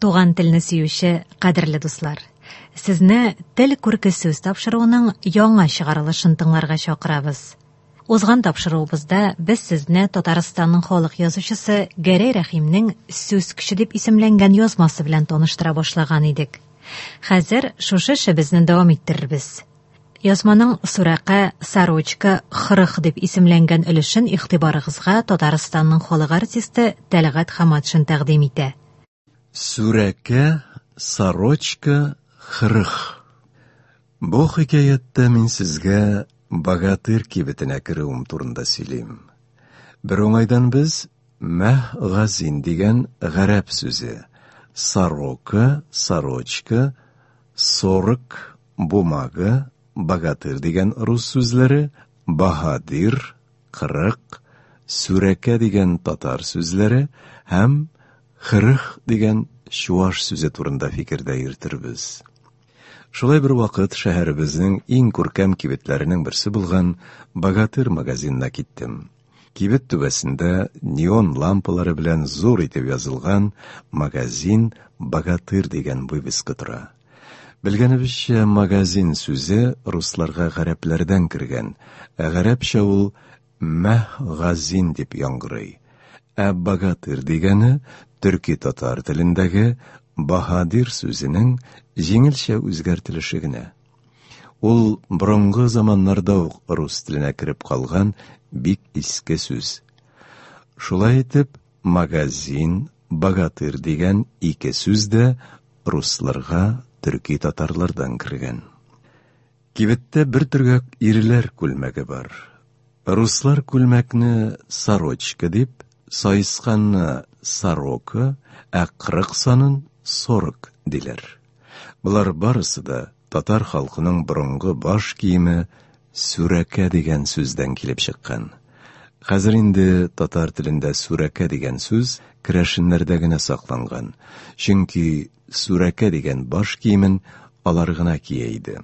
Туган телне сөюче кадерле дуслар! Сезне Тел күрке сүз тапшыруының яңа чыгарылышын тыңларга чакырабыз. Узган тапшыруыбызда без сезне Татарстанның халык язучысы Гәрәй Рәхимнең Сүз көче дип исемләнгән язмасы белән таныштыра башлаган идек. Хәзер шушы эшебезне дәвам иттерербез. Язманың Сурәкә, Сорочка, Хырых дип исемләнгән өлешен игътибарыгызга Татарстанның халык артисты Тәлгать Хаматшин тәкъдим итә. Сүрәкә, сорочка, хырых. Бу хикәяттә мин сезгә Богатырь кибетенә керүем турында сөйлим. Бер уңайдан без Мәһ газин дигән гарәп сүзе, сорока, сорочка, сорок, бумага, богатырь дигән рус сүзләре, баһадир, 40, сүрәкә дигән татар сүзләре һәм хырых дигән чуаш сүзе турында фикердә йөртербез. Шулай бер вакыт шәһәребезнең иң күркәм кибетләренең берсе булган Богатырь магазинына киттем. Кибет түбәсендә неон лампалары белән зур итеп язылган «Магазин Богатырь» дигән вывеска тора. Белгәнебезчә, магазин сүзе русларга гарәпләрдән кергән, ә гарәпчә ул мәһ-газин дип яңгырый. Ә богатырь дигәне төрки-татар телендәге баһадир сүзенең җиңелчә үзгәртелеше генә. Ул борынгы заманнарда ук рус теленә кереп калган бик иске сүз. Шулай итеп, магазин, богатырь дигән ике сүз дә русларга төрки-татарлардан кергән. Кибеттә бер төргәк ирләр күлмәге бар. Руслар күлмәкне сорочка дип, саесканны сорока, ә 40 санын сорок диләр. Болар барысы да татар халкының борынгы баш киеме сүрәкә дигән сүздән килеп чыккан. Хәзер инде татар телендә сүрәкә дигән сүз керәшеннәрдә генә сакланган, чөнки сүрәкә дигән баш киемен алар гына кия иде.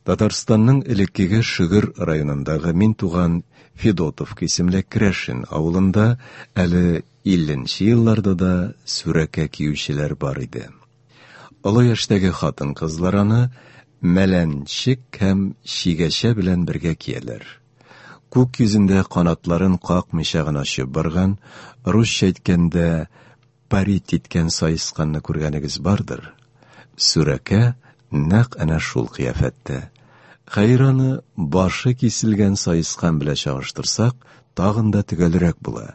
Татарстанның элеккеге Шөгер районындагы мин туган Федотовка исемле керәшен авылында әле 50 елларда да сүрәкә киючеләр бар иде. Олы яшьтәге хатын-кызлар аны мәләнчек һәм чигәчә белән бергә кияләр. Күк йөзендә канатларын какмыйча гына очып барган, русча әйткәндә, парить иткән саесканны күргәнегез бардыр. Сүрәкә нәкъ әнә шул кыяфәттә. Хәер, аны башы киселгән саескан белән чагыштырсак, тагын да төгәлрәк була.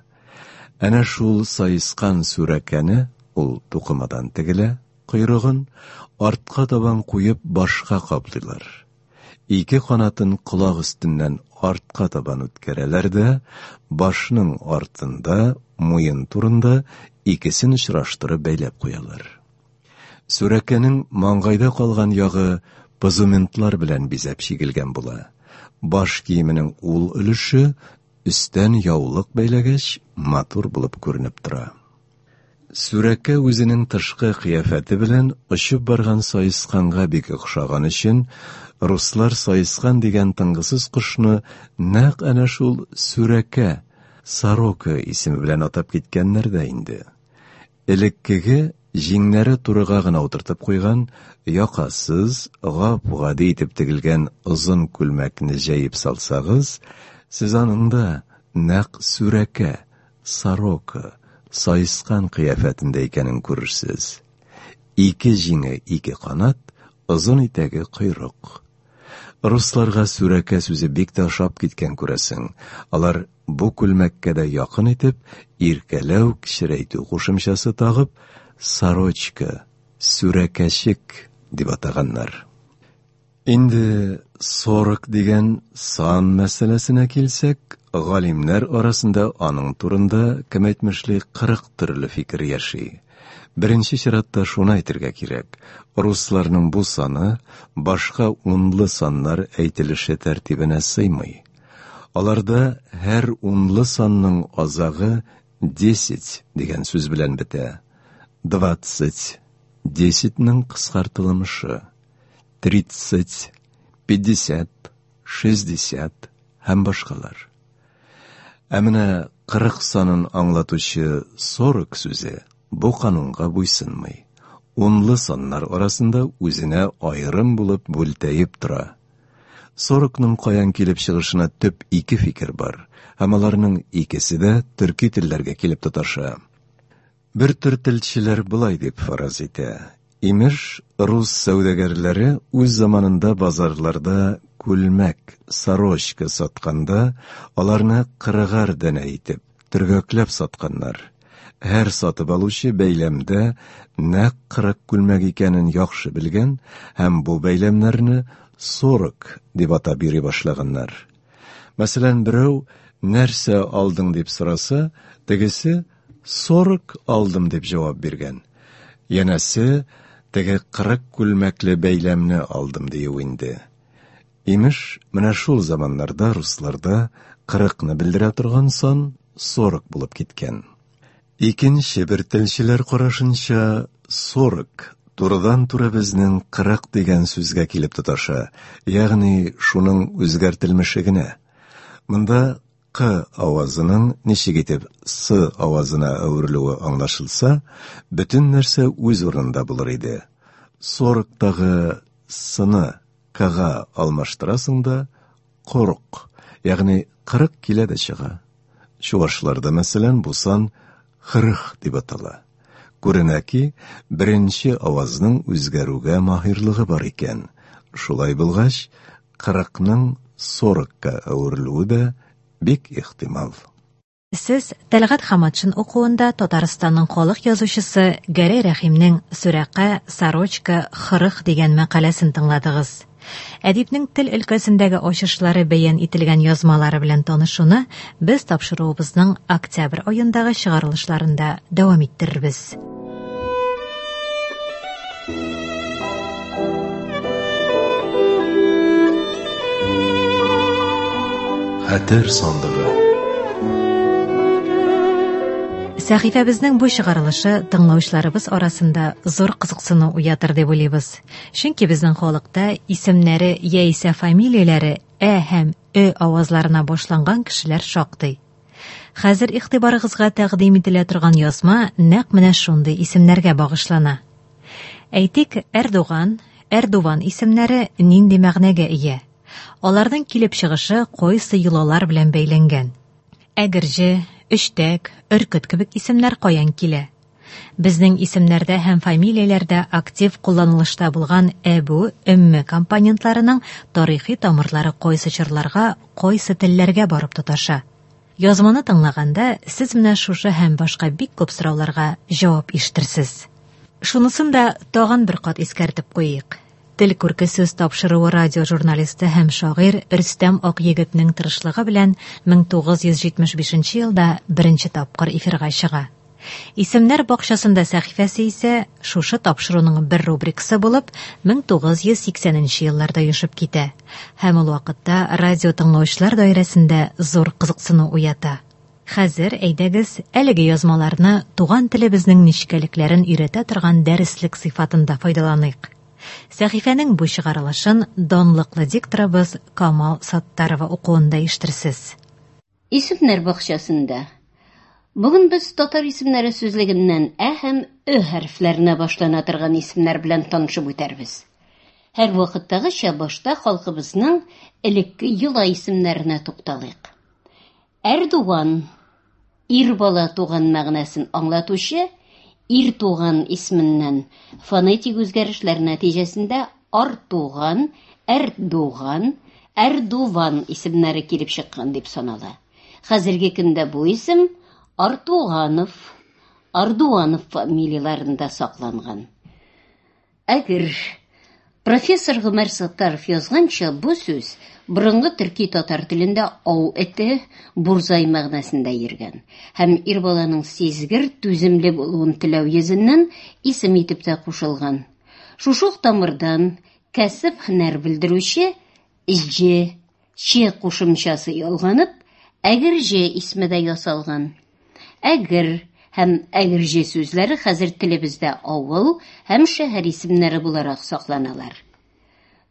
Әнә шул саескан сүрәкәне, ул тукымадан тегелә, койрыгын артка табан куеп башка каплыйлар. Ике канатын колак өстеннән артка табан үткәрәләр дә, башның артында, муен турында икесен очраштырып бәйләп куялар. Сүрәкәнең маңгайда калган ягы позументлар белән бизәп чигелгән була. Баш киеменең ул өлеше өстән яулык бәйләгәч, матур булып күренеп тора. Сүрәкә үзенең тышкы кыяфәте белән очып барган саесканга бик охшаган өчен, руслар саескан дигән тынгысыз кошны нәкъ әнә шул сүрәкә, сорока исеме белән атап киткәннәр дә инде. Элеккеге җиңнәре турыга гына утыртып куйган, якасыз, гап-гади итеп тегелгән озын күлмәкне җәеп салсагыз, сез аның да нәкъ сүрәкә, сорока, саескан кыяфәтендә икәнен күрерсез. Ике җиңе ике канат, озын итәге койрык. Русларга сүрәкә сүзе бик тә ошап киткән күрәсең. Алар бу күлмәккә дә якын итеп, иркәләү, кечерәйтү кушымчасы тагып, сорочка, сүрәкәчек дип атаганнар. Инде сорок дигән сан мәсьәләсенә килсәк, галимнәр арасында аның турында, кем әйтмешли, 40 төрле фикер яши. Беренче чиратта шуны әйтергә кирәк, русларның бу саны башка унлы саннар әйтелеше тәртибенә сыймый. Аларда һәр унлы санның азагы десять дигән сүз белән бетә. Двадцать, десятьнең кыскартылмышы. Тридцать, пятьдесят, шестьдесят һәм башкалар. Ә менә 40 санын аңлатучы сорок сүзе бу канунга буйсынмый. унлы саннар арасында үзенә аерым булып бүлтәеп тора. Сорокның каян килеп чыгышына төп ике фикер бар, һәм аларның икесе дә төрки телләргә килеп тоташа. Бер төр телчеләр болай дип фараз итә. Имеш, рус сәүдәгәрләре үз заманында базарларда күлмәк, сорочка сатканда, аларны кырыгар данә итеп, төргәкләп сатканнар. Һәр сатып алучы бәйләмдә нәкъ 40 күлмәк икәнен яхшы белгән һәм бу бәйләмнәрне сорок дип атап йөри башлаганнар. Мәсәлән, берәү нәрсә алдың дип сораса, тегесе сорок алдым дип җавап биргән. Янәсе, теге 40 күлмәкле бәйләмне алдым дию инде. Имеш, менә шул заманнарда русларда 40-ны белдерә торган сан 40 булып киткән. Икенче бер телчеләр карашынча, 40 турыдан-туры безнең 40 дигән сүзгә килеп тоташа, ягъни шуның үзгәртелмеше генә. Монда К авазының ничек итеп С авазына әверелүе аңлашылса, бөтен нәрсә үз урынында булыр иде. 40-тагы С-ны К-га алмаштырасың да, корык, ягъни 40 килә дә чыга. Чуашларда, мәсәлән, бу сан хырых дип атала. Күренә ки, беренче авазның үзгәрүгә маһирлыгы бар икән. Шулай булгач, 40-ның 40-ка әверелүе дә бик ихтимал. Сез Тәлгать Хаматшин укуында Татарстанның халык язучысы Гәрәй Рәхимнең Сүрәкә, Сорочка, Хырых дигән мәкаләсен тыңладыгыз. Әдипнең тел өлкәсендәге ачышлары бәян ителгән язмалары белән танышуны без тапшыруыбызның октябрь аендагы чыгарылышларында дәвам иттерербез. Хәтер сандыгы. Сәхифәбезнең бу чыгарылышы тыңлаучыларыбыз арасында зур кызыксыну уятыр дип уйлыйбыз. Чөнки безнең халыкта исемнәре яисә фамилияләре ә һәм ö авазларына башланган кешеләр шактый. Хәзер игътибарыгызга тәкъдим ителә торган язма нәкъ менә шундый исемнәргә багышлана. Әйтик, Эрдоган, Эрдуван исемнәре нинди мәгънәгә ия? Аларның килеп чыгышы кайсы йолалар белән бәйләнгән? Әгерҗе, Өчтәк, Өркет кебек исемнәр каян килә? Безнең исемнәрдә һәм фамилияләрдә актив кулланылышта булган әбү, өмме компонентларының тарихи тамырлары кайсы чорларга, кайсы телләргә барып тоташа? Язманы тыңлаганда сез менә шушы һәм башка бик күп сорауларга җавап ишетерсез. Шунысын да тагын бер кат искәртеп куйыйк. Тел күрке сүз тапшыруы радио журналисты һәм шагыйрь Рөстәм Акъегетнең тырышлыгы белән 1975 елда беренче тапкыр эфирга чыга. Исемнәр бакчасында сәхифәсе исә шушы тапшыруның бер рубрикасы булып 1980 елларда оешып китә һәм ул вакытта радио тыңлаучылар даирәсендә зур кызыксыну уята. Хәзер әйдәгез әлеге язмаларны туган телебезнең нечкәлекләрен өйрәтә торган дәреслек сыйфатында файдаланыйк. Сәхифәнең бу чыгарылышын данлыклы дикторыбыз Камал Саттарова укуында ишетерсез. Исемнәр бакчасында. Бүген без татар исемнәре сүзлегеннән ә һәм ö хәрефләренә башлана торган исемнәр белән танышып үтәрбез. Һәр вакыттагыча башта халкыбызның элекке йола исемнәренә тукталыйк. Эрдуган ир бала туган мәгънәсен аңлатучы ир туган исеменнән фонетик үзгәрешләр нәтиҗәсендә Артуган, Эрдуган, Эрдуван исемнәре килеп чыккан дип санала. Хәзерге көндә бу исем Артуганов, Ардуанов фамилияләрендә сакланган. Әгер профессор Гомәр Саттаров язганча, бу сүз борынгы төрки татар телендә ау эте, бурзай мәгънәсендә йөргән һәм ир баланың сизгер, түземле булуын теләү йөзеннән исем итеп тә кушылган. Шушы ук тамырдан кәсеп һөнәр белдерүче җ, ч кушымчасы ялганып, әгерҗе исеме дә ясалган. Әгер һәм әгерҗе сүзләре хәзер телебездә авыл һәм шәһәр исемнәре буларак сакланалар.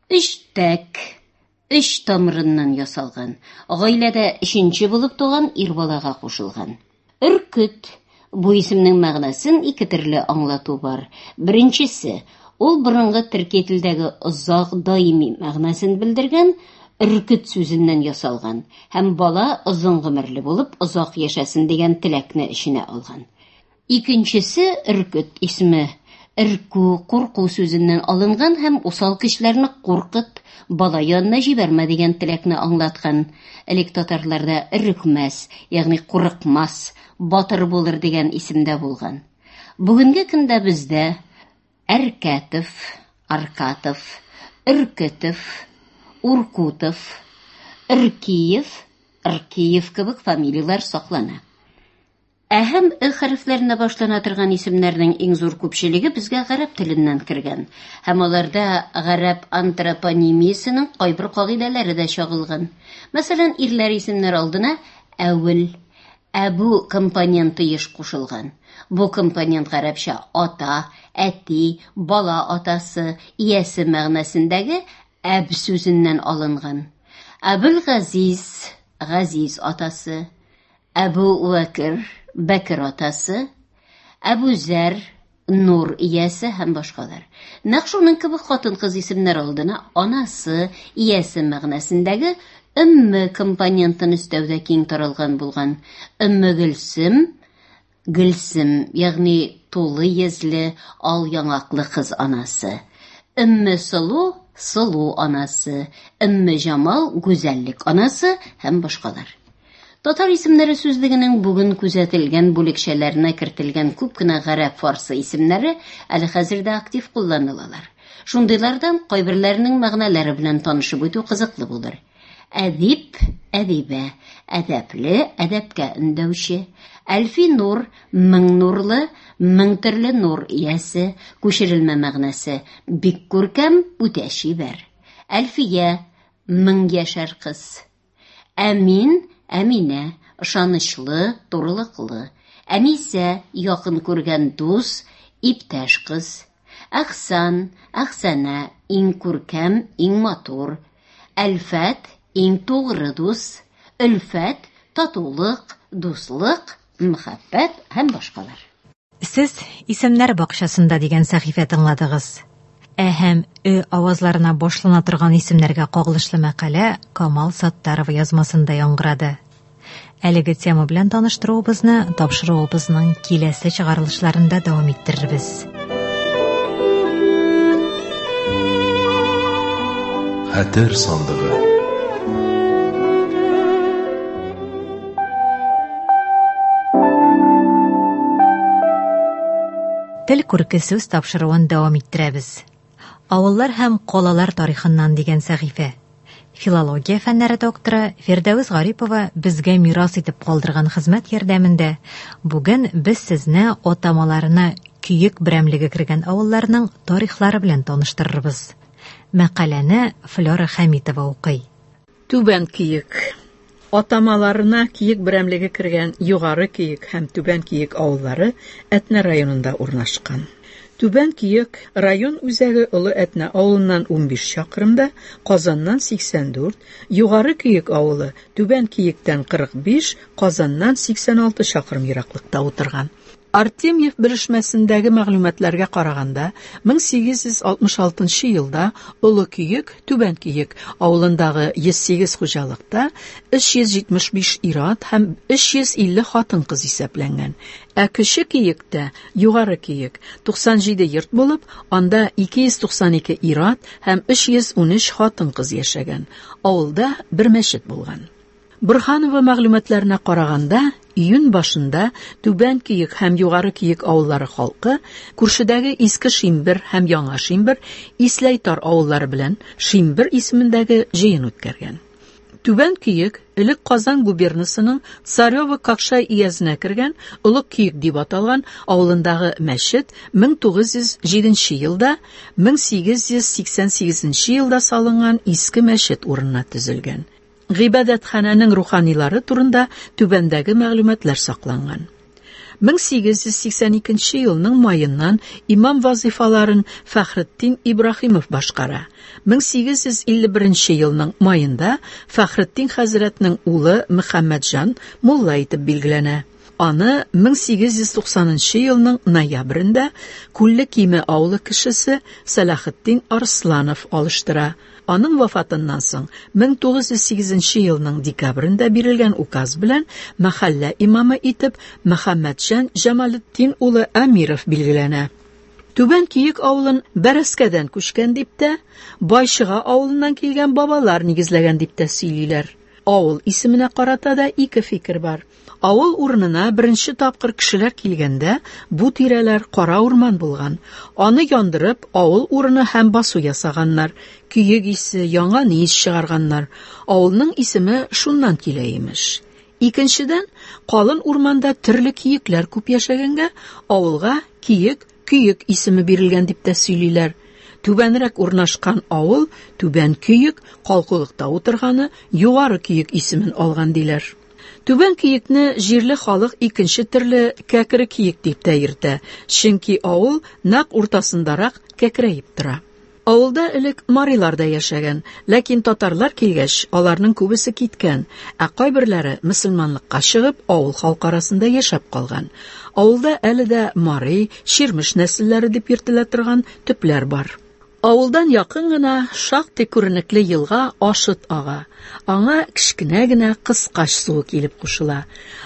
Өчтәк, өч тамырыннан ясалган, гаиләдә өченче булып туган ир балага кушылган. Өркет, Бу исемнең мәгънәсен ике төрле аңлату бар. Беренчесе, ул борынгы төрки телдәге озак, даими мәгънәсен белдергән өркет сүзеннән ясалган һәм бала озын гомерле булып озак яшәсен дигән теләкне эченә алган. Икенчесе Өркет исеме өркү, курку сүзеннән алынган һәм усал көчләрне куркыт, бала янына җибәрмә дигән теләкне аңлаткан. Элек татарларда өрекмәс, ягъни курыкмас, батыр булыр дигән исемдә булган. Бүгенге көндә бездә Әркәтов, Аркатов, Өркетов, Уркутов, Өркиев, Ркиев кебек фамилияләр саклана. Ә һәм Ө хәрефләренә башлана торган исемнәрнең иң зур күпчелеге безгә гарәп теленнән кергән һәм аларда гарәп антропонимиясенең кайбер кагыйдәләре дә чагылган. Мәсәлән, ирләр исемнәр алдына әүел, әбү компоненты еш кушылган. Бу компонент гарәпчә ата, әти, бала атасы, иясе мәгънәсендәге әб сүзеннән алынган. Әбелгазиз, Газиз атасы, Әбү Вәкер, Бәкер атасы, Әбү Зәр, нур иясе һәм башкалар. Нәкъ шуның кебек хатын-кыз исемнәр алдына анасы, иясе мәгънәсендәге өмме компонентын өстәү дә киң таралган булган. Өмме Гөлсем, Гөлсем, ягъни тулы йөзле, ал яңаклы кыз анасы. Өмме Сылу, сылу анасы, Өмме Җамал, гүзәллек анасы һәм башкалар. Татар исемнәре сүзлегенең бүген күзәтелгән бүлекчәләренә кертелгән күп кенә гарәп-фарсы исемнәре әле хәзер дә актив кулланылалар. Шундыйлардан кайберләренең мәгънәләре белән танышып үтү кызыклы булыр. Әдип, әдибә, әдәпле, әдәпкә өндәүче. Әлфи нур, мең нурлы, мең төрле нур иясе, күчерелмә мәгънәсе, бик күркәм, үтә чибәр. Әлфия, мең яшәр кыз. Әмин, Әминә, ышанычлы, турылыклы. Әнисә, якын күргән дус, иптәш кыз. Әхсан, Әхсәнә, иң күркәм, иң матур. Әлфәт, иң тугры дус. Өлфәт, татулык, дуслык, мәхәббәт һәм башкалар. Сез Исемнәр бакчасында дигән сәхифә тыңладыгыз. Ә һәм Ө авазларына башлана торган исемнәргә кагылышлы мәкалә Камал Саттарова язмасында яңгырады. Әлеге тема белән таныштыруыбызны тапшыруыбызның киләсе чыгарылышларында дәвам иттерербез. Хәтер сандыгы. Тел күрке сүз тапшыруын дәвам иттерәбез. Авыллар һәм калалар тарихыннан дигән сәхифә. Филология фәннәре докторы Фирдәвес Гарипова безгә мирас итеп калдырган хезмәт ярдәмендә бүген без сезне атамаларына Көек берәмлеге кергән авылларның тарихлары белән таныштырырбыз. Мәкаләне Флера Хәмитова укый. Түбән Көек. Атамаларына Киек берәмлеге кергән Югары Көек һәм Түбән Көек авыллары Әтнә районында урнашкан. Түбән Көек район үзәге Олы Әтнә авылыннан 15 чакрымда, Казаннан 84, Югары Көек авылы Түбән Көектән 45, Казаннан 86 чакрым ераклыкта утырган. Артемьев белешмәсендәге мәгълүматларга караганда, 1866 елда Олы Көек, Түбән Көек авылындагы 108 хуҗалыкта 375 ир-ат һәм 350 хатын-кыз исәпләнгән. Ә Кече Көектә, Югары Көек, 97 йорт булып, анда 292 ир-ат һәм 313 хатын-кыз яшәгән. Авылда бер мәчет булган. Борһанова мәгълүматларына караганда, июнь башында Түбән Көек һәм Югары Көек авыллары халкы күршедәге Иске Шимбер һәм Яңа Шимбер, Исләйтар авыллары белән Шимбер исемендәге җыен үткәргән. Түбән Көек элек Казан губернасының Царево-Кокшай өязенә кергән Олы Көек дип аталган авылындагы мәчет 1907 елда 1888 елда салынган иске мәчет урынына төзелгән. Гыйбадәтханәнең руханилары турында түбәндәге мәгълүматлар сакланган. 1882 елның маеннан имам вазифаларын Фәхретдин Ибраһимов башкара. 1851 елның маенда Фәхретдин хәзрәтнең улы Мөхәммәтҗан мулла итеп билгеләнә. Аны 1890 нчы елның ноябрендә Күлле Киме авылы кешесе Сәлахетдин Арсланов алыштыра. Аның вафатыннан соң 1908 нче елның декабрендә бирелгән указ белән мәхәллә имамы итеп Мөхәммәтҗан Җамалетдин улы Әмиров билгеләнә. Түбән Көек авылын Бәрәскәдән күчкән дип тә, Байчыга авылыннан килгән бабалар нигезләгән дип тә сөйлиләр. Авыл исеменә карата да ике фикер бар. Авыл урынына беренче тапкыр кешеләр килгәндә, бу тирәләр кара урман булган. Аны яндырып, авыл урыны һәм басу ясаганнар, көек исе, янган ис чыгарганнар. Авылның исеме шуннан килә, имеш. Икенчедән, калын урманда төрле киекләр күп яшәгәнгә, авылга Киек, Көек исеме бирелгән дип тә сөйлиләр. Түбәнрәк урнашкан авыл Түбән Көек, калкулыкта утырганы Югары Көек исемен алган диләр. Түбән Көекне җирле халык икенче төрле Кәкре Киек дип тә йөртә, чөнки авыл нәкъ уртасындарак кәкрәеп тора. Авылда элек марилар да яшәгән, ләкин татарлар килгәч, аларның күбесе киткән, ә кайберләре мөселманлыкка чыгып, авыл халкы арасында яшәп калган. Авылда әле дә мари, чирмеш нәселләре дип йөртелә торган төпләр бар. Авылдан якын гына шактый күренекле елга Ашыт ага. Аңа кечкенә генә Кыскач суы килеп кушыла.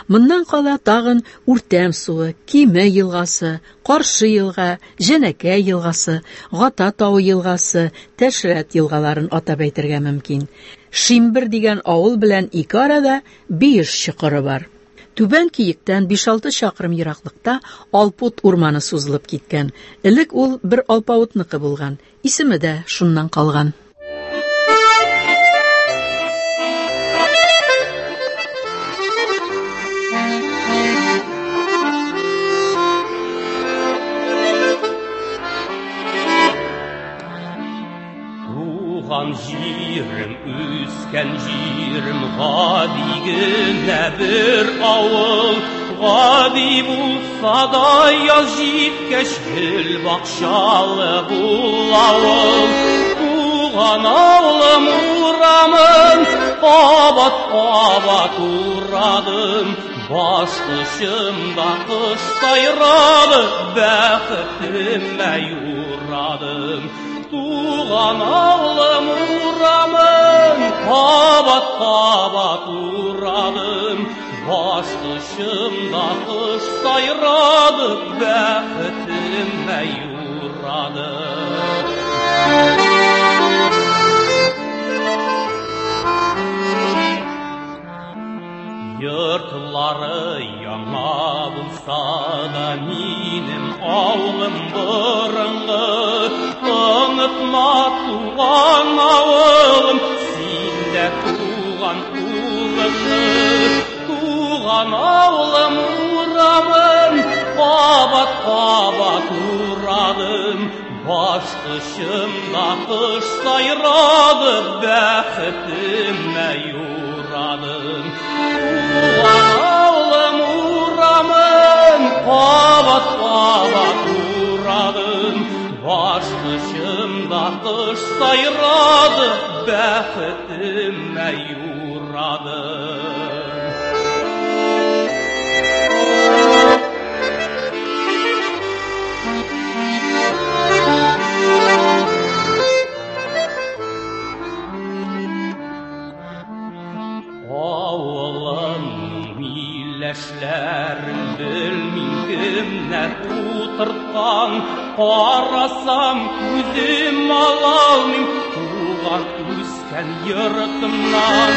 Моннан кала тагын Үртәм суы, Киме елгасы, Каршы елга, Җәнәкәй елгасы, Гата тавы елгасы, Тәшрәт елгаларын атап әйтергә мөмкин. Шимбер дигән авыл белән ике арада Биеш чокыры бар. Түбән Киектән биш-алты чакрым ераклыкта Алпут урманы сузылып киткән. Элек ул бер алпавытныкы булган, исеме дә шуннан калган. Туган җирем, үскән җирем, гади генә бер авыл. Гади булса да яз җиткәч, гөл бакчалы бул авыл. Туган авылым урамын кабат-кабат урадым. Баш очымда кош сайрады, бәхетемә юрадым. Туган авылым урамын кабат-кабат урадым. Баш очымда кош сайрады, бәхетемә юрадым. Йортлары яңа булса да, минем авылым борынгы. Онытма туган авылым, син дә туган улыңны. Туган авылым урамын кабат-кабат урадым. Баш очымда кош сайрады, бәхетемә юрадым. Туган авылым урамын кабат-кабат урадым. Баш очымда кош сайрады, бәхетемә юрадым. Авылым миләшләрен белмим кемнәр утырткан, карасам күзем алалмыйм туган үскән йортымнан.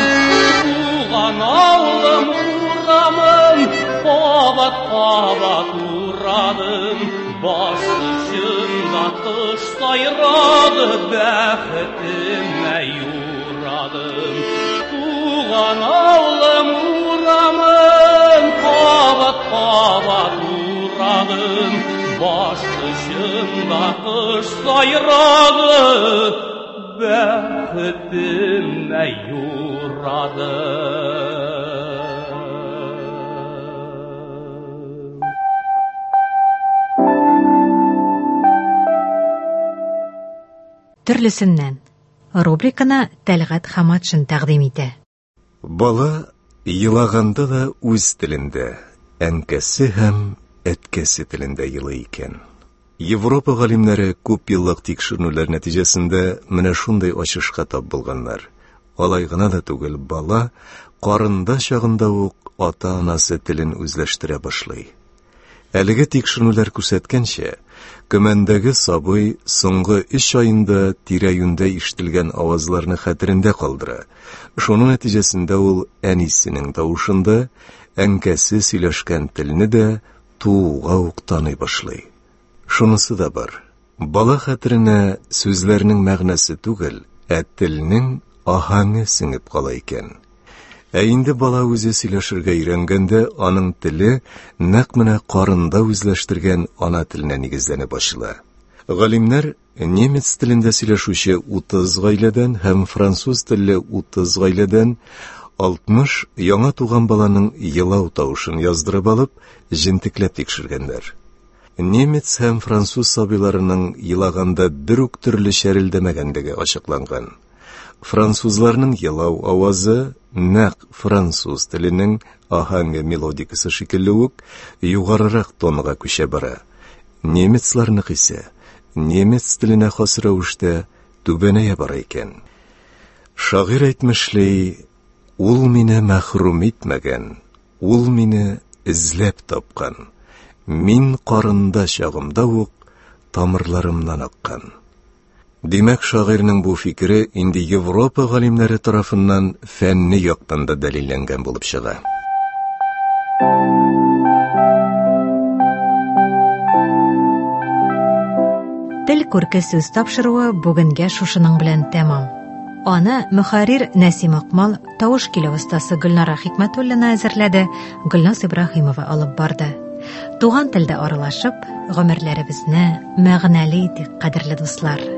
Туган авылым урамын кабат-кабат урадым, баш очымда кош сайрады, бәхетемә юрадым. Туган авылым урамын кабат-кабат урадым, баш очымда кош сайрады, бәхетемә юрадым. Төрлесеннән. Рубриканы Тәлгать Хаматшин тәкъдим итә. Бала елаганда да үз телендә, әнкәсе һәм әткәсе телендә елый икән. Европа галимнәре күп еллык тикшеренүләр нәтиҗәсендә менә шундый ачышка тап булганнар. Алай гына да түгел, бала карында чагында ук ата-анасы телен үзләштерә башлый. Әлеге тикшеренүләр күрсәткәнчә, көмәндәге сабый соңгы өч аенда тирә-юньдә ишетелгән авазларны хәтерендә калдыра. Шуның нәтиҗәсендә ул әнисенең тавышын да, әнкәсе сөйләшкән телне дә тууга ук таный башлый. Шунысы да бар, бала хәтеренә сүзләрнең мәгънәсе түгел, ә телнең аһәңе сеңеп кала икән. Ә инде бала үзе сөйләшергә өйрәнгәндә, аның теле нәкъ менә карында үзләштергән ана теленә нигезләнеп ачыла. Галимнәр немец телендә сөйләшүче 30 гаиләдән һәм француз телле 30 гаиләдән 60 яңа туган баланың елау тавышын яздырып алып, җентекләп тикшергәннәр. Немец һәм француз сабыйларының елаганда бер үк төрле чәрелдәмәгәнлеге ачыкланган. Французларның елау авазы нәкъ француз теленең аһәңе мелодикасы шикелле үк югарырак тонга күчә бара. Немецларныкы исә немец теленә хас рәвештә түбәнәя бара икән. Шагыйрь әйтмешли, ул мине мәхрүм итмәгән, ул мине эзләп тапкан. Мин карында чагымда ук тамырларымнан аккан. Димәк, шагыйрьнең бу фикере инде Европа галимнәре тарафыннан фәнни яктан да дәлилләнгән булып чыга. Тел күрке сүз тапшыруы бүгенгә шушының белән тәмам. Аны мөхәррир Нәсим Акмал, тавыш килү остасы Гөлнара Хикмәтуллина әзерләде, Гөлназ Ибраһимова алып барды. Туган телдә аралашып, гомерләребезне мәгънәле итик, кадерле дуслар.